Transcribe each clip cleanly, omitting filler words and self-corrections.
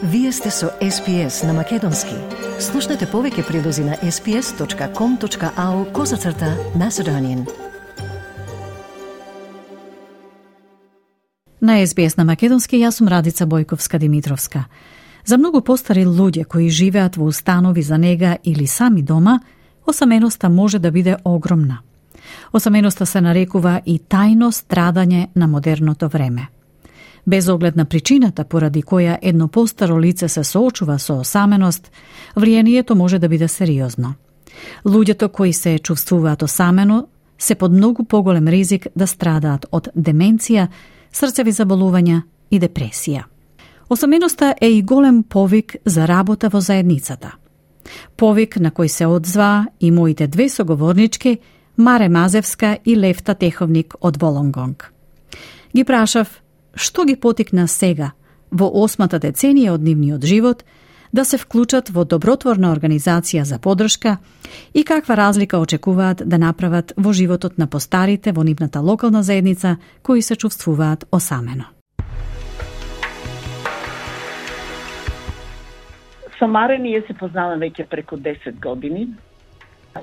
Вие сте со SPS на Македонски. Слушнете повеќе прилози на sps.com.au/Macedonian. На SBS на Македонски јас сум Радица Бојковска-Димитровска. За многу постари луѓе кои живеат во установи за нега или сами дома, осаменоста може да биде огромна. Осаменоста се нарекува и тајно страдање на модерното време. Без оглед на причината поради која едно постаро лице се соочува со осаменост, влијанието може да биде сериозно. Луѓето кои се чувствуваат осамено се под многу поголем ризик да страдаат од деменција, срцеви заболувања и депресија. Осаменоста е и голем повик за работа во заедницата. Повик на кој се одзва и моите две соговорнички, Маре Мазевска и Левта Теховник од Волонгонг. Ги прашав што ги потикна сега, во 8-та деценија од нивниот живот, да се вклучат во добротворна организација за поддршка и каква разлика очекуваат да направат во животот на постарите во нивната локална заедница кои се чувствуваат осамено. Со Маре ние се познаваме веќе преку 10 години.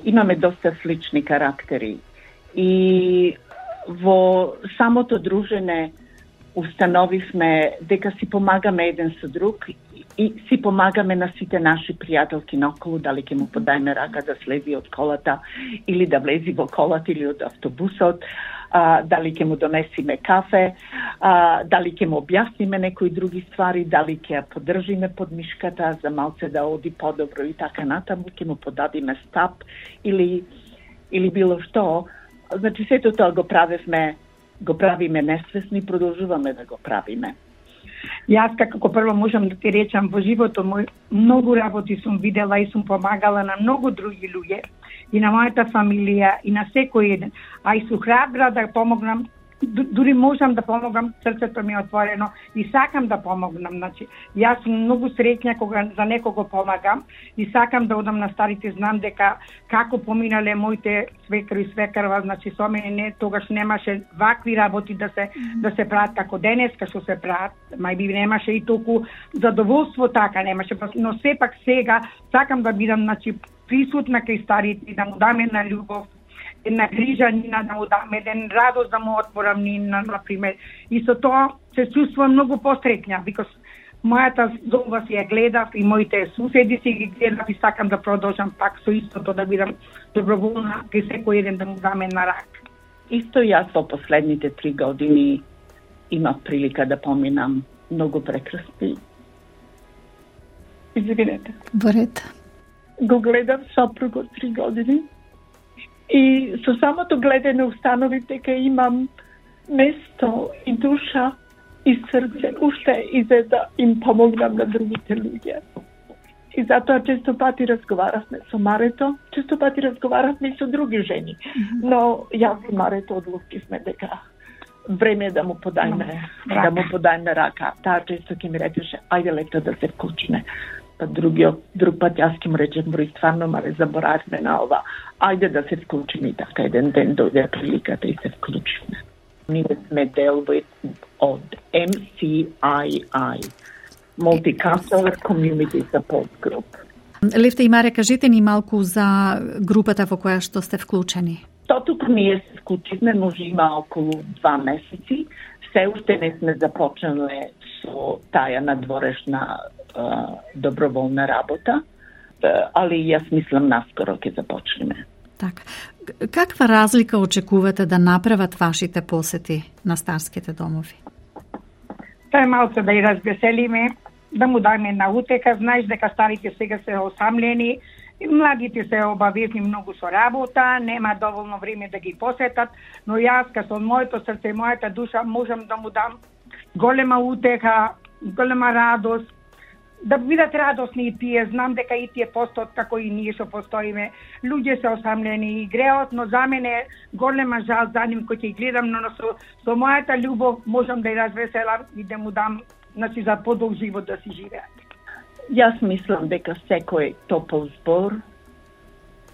Имаме доста слични карактери и во самото дружење установивме дека си помагаме еден со друг и си помагаме на сите наши пријателки наоколу, дали ќе му подајме рака да слези од колата или да влези во колата или од автобусот, дали ќе му донесиме кафе, дали ќе му објасниме некои други ствари, дали ќе ја поддржиме под мишката за малце да оди подобро и така натаму, ќе му подадиме стап или било што. Значи сето тоа го правиме несвесни, продолжуваме да го правиме. Јас како прво можам да ти речам, во животот мој многу работи сум видела и сум помагала на многу други луѓе и на мојата фамилија и на секој еден. А и сум храбра да помогнам, дури можам да помогам, срцето ми е отворено и сакам да помогнам. Значи, јас сум многу среќна кога за некого помагам и сакам да одам на старите, знам дека како поминале моите свекар и свекарва, значи со мене тогаш немаше вакви работи да се прават како денеска што се прават, мајби немаше и толку задоволство така немаше, но сепак сега сакам да бидам, значи, присутна кај старите и да му дам една љубов, една грижа нина, да му дам еден радост да му отворам нина, например. И со тоа се чувствувам многу посреќна, because мојата зоба си ја гледав и моите суседи си ги гледав и сакам да продолжам пак со истото, да бидам доброволна кај секој еден да му дам една рака. Исто јас во последните 3 години имав прилика да поминам многу прекрасни. Извинете. Борет. Го гледав сопругот 3 години. И со самото гледање установив дека имам место и душа и срце уште и за да им помогнам на другите луѓе. И затоа често пати разговаравме со Марето, често пати разговаравме и со други жени. Но јас и Марето одлучивме дека време да му подајме рака. Таа често ќе ми речеше, ајде Лето да се вклучиме. Па друг пат јас ќе му речем, број стварно, Маре, заборавме на ова. Ајде да се вклучиме и така еден ден дојде приликата и се вклучивме. Ние сме дел од MCII, Multicultural Community Support Group. Левта и Маре, кажете ни малку за групата во која што сте вклучени. Тотук ние се вклучивме, може има околу 2 месеци. Се уште не сме започнале со таа надворешна доброволна работа, али јас мислам наскоро ќе започнеме. Така. Каква разлика очекувате да направат вашите посети на старските домови? Тоа е малце да ја развеселиме, да му дајме една утека. Знаеш дека старите сега се осамлени, и младите се обавезни многу со работа, нема доволно време да ги посетат, но јас со моето срце и мојата душа можам да му дам голема утеха, голема радост, да бидат радосни и тие. Знам дека и тие постојат како и ние што постоиме. Луѓе се осамлени и греот, но за мене е голема жал за нив кој ќе гледам, но со мојата љубов можам да ја развеселам и да му дам, значи, за подолг живот да си живеат. Јас мислам дека секој топол збор,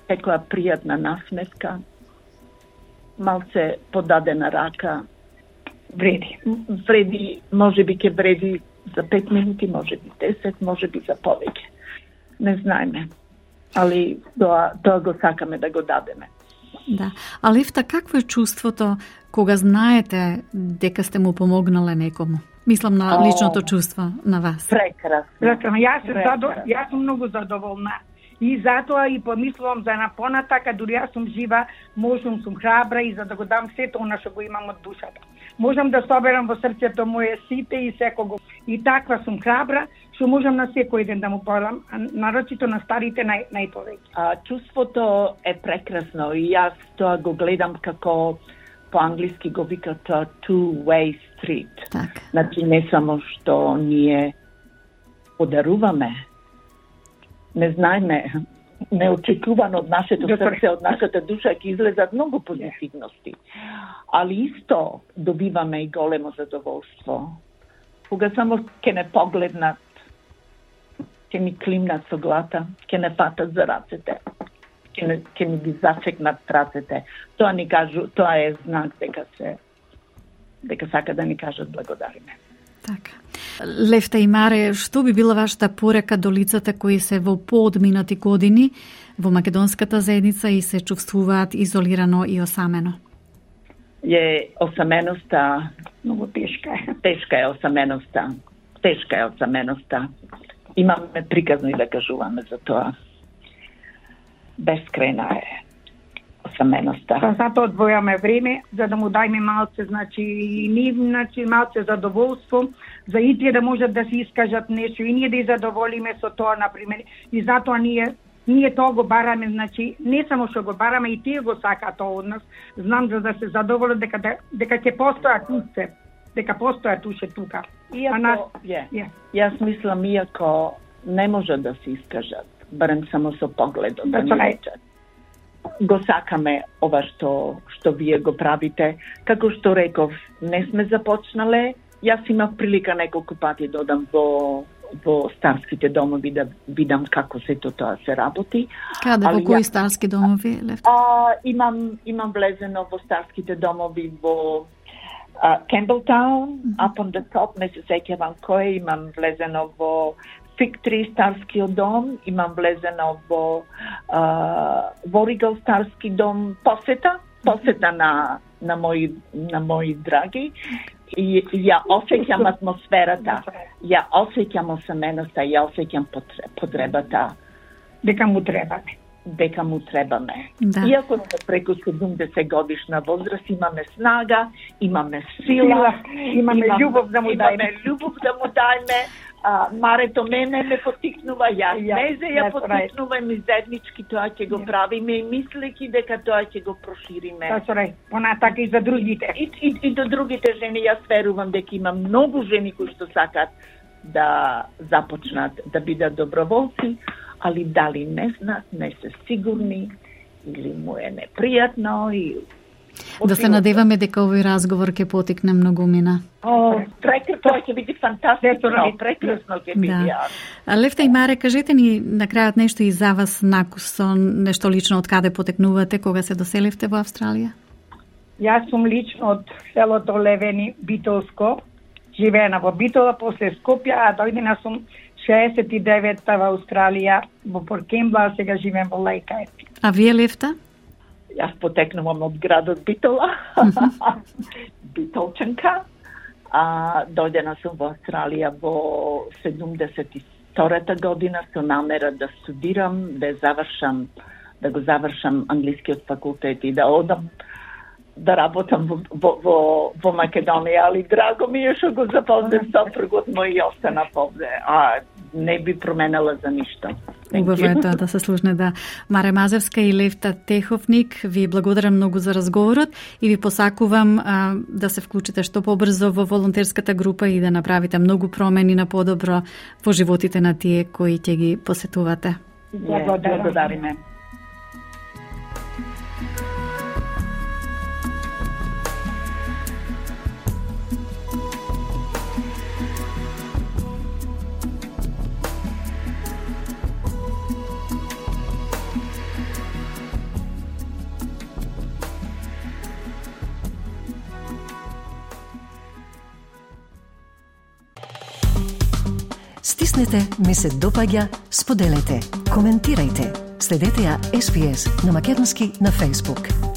секоја пријатна насмевка, малце подадена рака, вреди. Вреди, можеби ќе вреди за 5 минути, може би 10, може би за повеќе. Не знаеме, али тоа го сакаме да го дадеме. Да. А Левта, какво е чувството кога знаете дека сте му помогнале некому? Мислам на личното чувство на вас. Прекрасно. Јас сум многу задоволна. И затоа и помислувам за напонатака, дури јас сум жива, можам, сум храбра и за да го дам сето она што го имам од душата. Можам да соберам во срцето мое сите и секого. И таква сум храбра, што можам на секој ден да му подам, нарочито на старите најповеќе. Чувството е прекрасно и јас тоа го гледам како по-англиски го викат two-way street. Так. Значи не само што ние подаруваме, не знаеме, неочекувано од нашето срце, од нашата душа ќе излезат многу позитивности. Али исто добиваме и големо задоволство. Кога само ќе не погледнат, ќе ми климнат со глата, ќе не фатат за рацете, ќе ми ги зачекнат рацете. Тоа ни кажу, тоа е знак дека сака да ни кажат благодариме. Така. Левта и Маре, што би била вашата порека до лицата кои се во поодминати години во македонската заедница и се чувствуваат изолирано и осамено? Осаменоста Многу тешка е. Тешка е осаменоста. Имаме приказно и да кажуваме за тоа. Бескрајна е осаменоста. Затоа одвојаме време за да му дајме малце, малце задоволство, за и тие да можат да се искажат нешто и ние да ги задоволиме со тоа, например. И затоа ние тоа го бараме, не само што го бараме, и тие го сакаат тоа од нас. Знам за да се задоволат дека ќе постојат туце, дека постојат туше тука. Јас мислам, иако не може да се искажат, барем само со погледот да ни речат. Го сакаме ова што вие го правите. Како што реков, не сме започнале. Јас имав прилика неколку пати да одам во старските домови да видам како сето тоа се работи. Каде, во кои старски домови, Левта? Имам влезено во старските домови во Campbelltown, up on the top, не се сеќавам кој, имам влезено во Fig Tree старскиот дом, имам влезено во Воригал старски дом, посета на мои драги. И ја осеќам атмосферата, ја осеќам осаменоста, ја осеќам потребата дека му требаме. Да. Иако сме преку 70 годишна возраст, имаме снага, имаме сила, имаме љубов да му дајме. Марето мене ме потикнува, јас незе ја потикнувам и заеднички тоа ќе го правиме и мислејќи дека тоа ќе го прошириме. Понатака и за другите. И до другите жени, јас верувам дека има многу жени кои што сакат да започнат да бидат доброволци, али дали не знаат, не се сигурни или му е непријатно и да се надеваме дека овој разговор ќе потекне многумина. Тоа ќе биде фантастично, прекрасно ќе биде. Левта и Маре, кажете ни на крајот нешто и за вас накусон, нешто лично од каде потекнувате кога се доселивте во Австралија? Јас сум лично од селото Левени, Битолско, живеена во Битола, после Скопје, а дојдена сум 69-та во Австралија, во Порт Кембла, сега живеем во Лајкај. А вие, Левта? Јас потекнувам од градот Битола, Битолчанка. Дојдена сум во Австралија во 72-та година со намера да студирам, да го завршам англискиот факултет и да одам да работам во Македонија, али драго ми е што го запознав сопругот мој и останав овде. Не би променела за ништо. Убаво е тоа да се слушне, да. Маре Мазевска и Левта Теховник, ви благодарам многу за разговорот и ви посакувам да се вклучите што побрзо во волонтерската група и да направите многу промени на подобро во животите на тие кои ќе ги посетувате. Благодариме. Стиснете ми се допаѓа, споделете, коментирајте. Следете ја SPS на Македонски на Facebook.